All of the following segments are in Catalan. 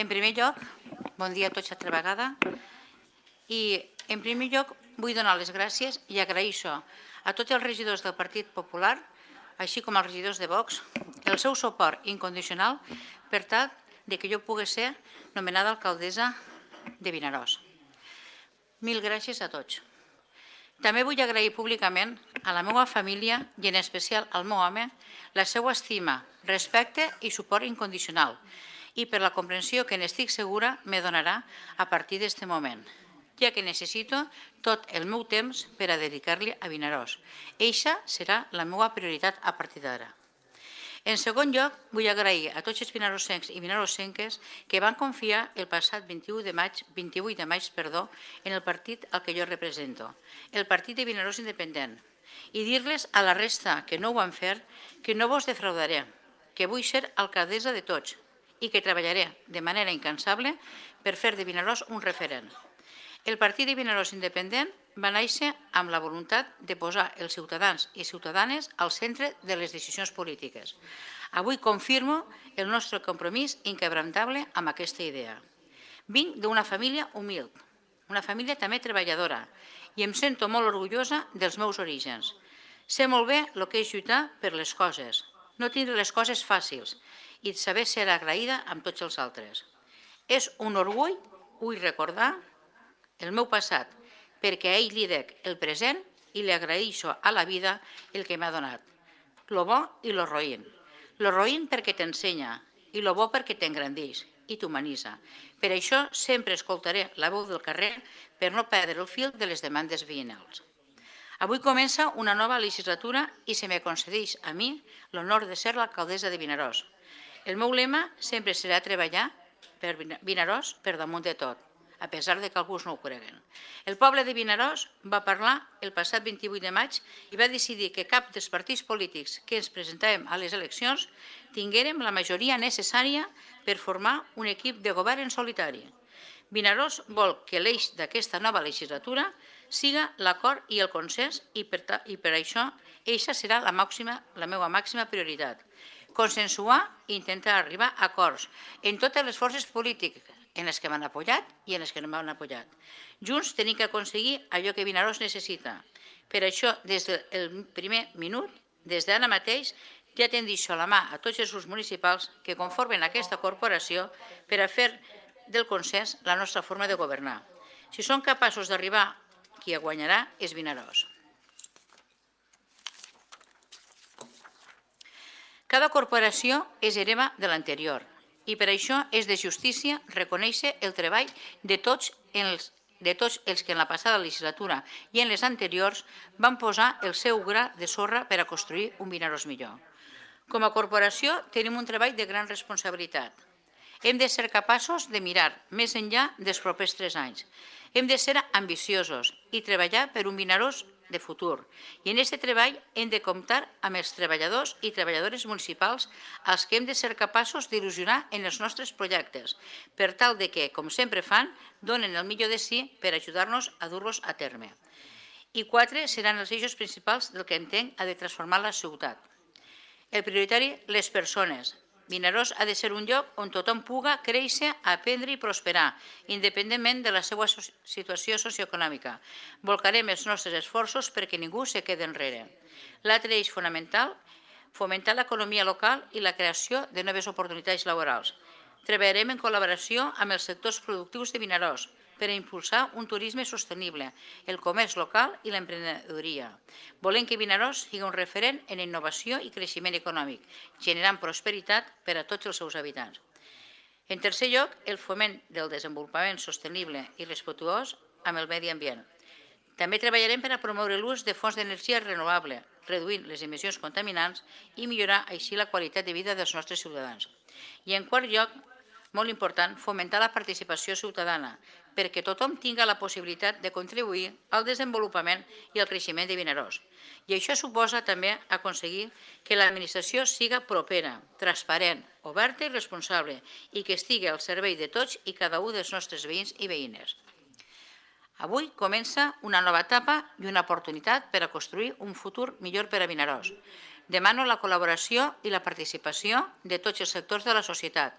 En primer lloc, bon dia a tots altra vegada. I en primer lloc vull donar les gràcies i agraeixo a tots els regidors del Partit Popular, així com als regidors de Vox, el seu suport incondicional per tal que jo pugui ser nomenada alcaldessa de Vinaròs. Mil gràcies a tots. També vull agrair públicament a la meva família i en especial al meu home la seva estima, respecte i suport incondicional i per la comprensió que n'estic segura me donarà a partir d'aquest moment, ja que necessito tot el meu temps per a dedicar-li a Vinaròs. Eixa serà la meva prioritat a partir d'ara. En segon lloc, vull agrair a tots els vinarossencs i vinarossenques que van confiar el passat 28 de maig en el partit al que jo represento, el Partit de Vinaròs Independent, i dir-les a la resta que no ho van fer que no vos defraudaré, que vull ser alcaldessa de tots i que treballaré de manera incansable per fer de Vinaròs un referent. El Partit de Vinaròs Independent va néixer amb la voluntat de posar els ciutadans i ciutadanes al centre de les decisions polítiques. Avui confirmo el nostre compromís inquebrantable amb aquesta idea. Vinc d'una família humil, una família també treballadora, i em sento molt orgullosa dels meus orígens. Sé molt bé el que és lluitar per les coses, no tindre les coses fàcils i saber ser agraïda amb tots els altres. És un orgull, vull recordar, el meu passat, perquè a ell li dec el present i li agraeixo a la vida el que m'ha donat, lo bo i lo roïn. Lo roïn perquè t'ensenya i lo bo perquè t'engrandeix i t'humanitza. Per això sempre escoltaré la veu del carrer per no perdre el fil de les demandes veïnals. Avui comença una nova legislatura i se me concedeix a mi l'honor de ser l'alcaldessa de Vinaròs. El meu lema sempre serà treballar per Vinaròs per damunt de tot, a pesar que alguns no ho creguen. El poble de Vinaròs va parlar el passat 28 de maig i va decidir que cap dels partits polítics que ens presentàvem a les eleccions tinguérem la majoria necessària per formar un equip de govern en solitari. Vinaròs vol que l'eix d'aquesta nova legislatura siga l'acord i el consens i per això eixa serà la meva màxima prioritat. Consensuar i intentar arribar a acords en totes les forces polítiques en les que m'han apoyat i en les que no m'han apoyat. Junts tenim que aconseguir allò que Vinaròs necessita. Per això, des del primer minut, des d'ara mateix, ja tendeixo la mà a tots els grups municipals que conformen aquesta corporació per a fer del consens la nostra forma de governar. Si som capaços d'arribar, qui guanyarà és Vinaròs. Cada corporació és hereva de l'anterior i per això és de justícia reconèixer el treball de tots els que en la passada legislatura i en les anteriors van posar el seu gra de sorra per a construir un Vinaròs millor. Com a corporació tenim un treball de gran responsabilitat. Hem de ser capaços de mirar més enllà dels propers 3 anys. Hem de ser ambiciosos i treballar per un Vinaròs de futur. I en aquest treball hem de comptar amb els treballadors i treballadores municipals als que hem de ser capaços d'il·lusionar en els nostres projectes, per tal que, com sempre fan, donen el millor de si per ajudar-nos a dur-los a terme. I 4 seran els eixos principals del que entenc ha de transformar la ciutat. El prioritari, les persones. Vinaròs ha de ser un lloc on tothom puga créixer, aprendre i prosperar, independentment de la seva situació socioeconòmica. Volcarem els nostres esforços perquè ningú se quedi enrere. L'altre eix fonamental, fomentar l'economia local i la creació de noves oportunitats laborals. Treballarem en col·laboració amb els sectors productius de Vinaròs per a impulsar un turisme sostenible, el comerç local i l'emprenedoria. Volem que Vinaròs sigui un referent en innovació i creixement econòmic, generant prosperitat per a tots els seus habitants. En tercer lloc, el foment del desenvolupament sostenible i respectuós amb el medi ambient. També treballarem per a promoure l'ús de fonts d'energia renovable, reduint les emissions contaminants i millorar així la qualitat de vida dels nostres ciutadans. I en quart lloc, molt important, fomentar la participació ciutadana, perquè tothom tingui la possibilitat de contribuir al desenvolupament i al creixement de Vinaròs. I això suposa també aconseguir que l'administració siga propera, transparent, oberta i responsable i que estigui al servei de tots i cada un dels nostres veïns i veïnes. Avui comença una nova etapa i una oportunitat per a construir un futur millor per a Vinaròs. Demano la col·laboració i la participació de tots els sectors de la societat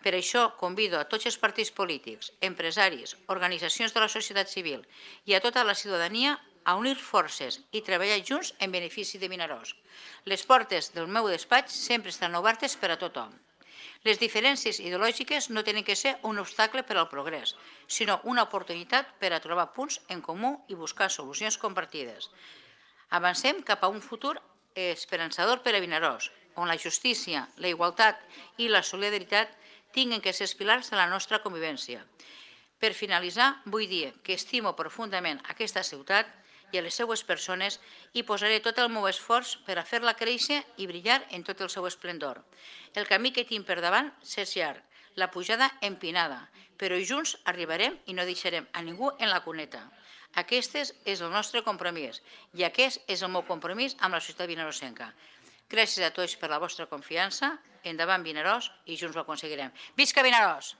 Per això convido a tots els partits polítics, empresaris, organitzacions de la societat civil i a tota la ciutadania a unir forces i treballar junts en benefici de Vinaròs. Les portes del meu despatx sempre estan obertes per a tothom. Les diferències ideològiques no tenen que ser un obstacle per al progrés, sinó una oportunitat per a trobar punts en comú i buscar solucions compartides. Avancem cap a un futur esperançador per a Vinaròs, on la justícia, la igualtat i la solidaritat tinguin que ser els pilars de la nostra convivència. Per finalitzar, vull dir que estimo profundament aquesta ciutat i a les seues persones i posaré tot el meu esforç per a fer-la créixer i brillar en tot el seu esplendor. El camí que tinc per davant és llarg, la pujada empinada, però junts arribarem i no deixarem a ningú en la cuneta. Aquest és el nostre compromís i aquest és el meu compromís amb la societat vinaròsenca. Gràcies a tots per la vostra confiança, endavant Vinaròs i junts ho aconseguirem. Visca Vinaròs!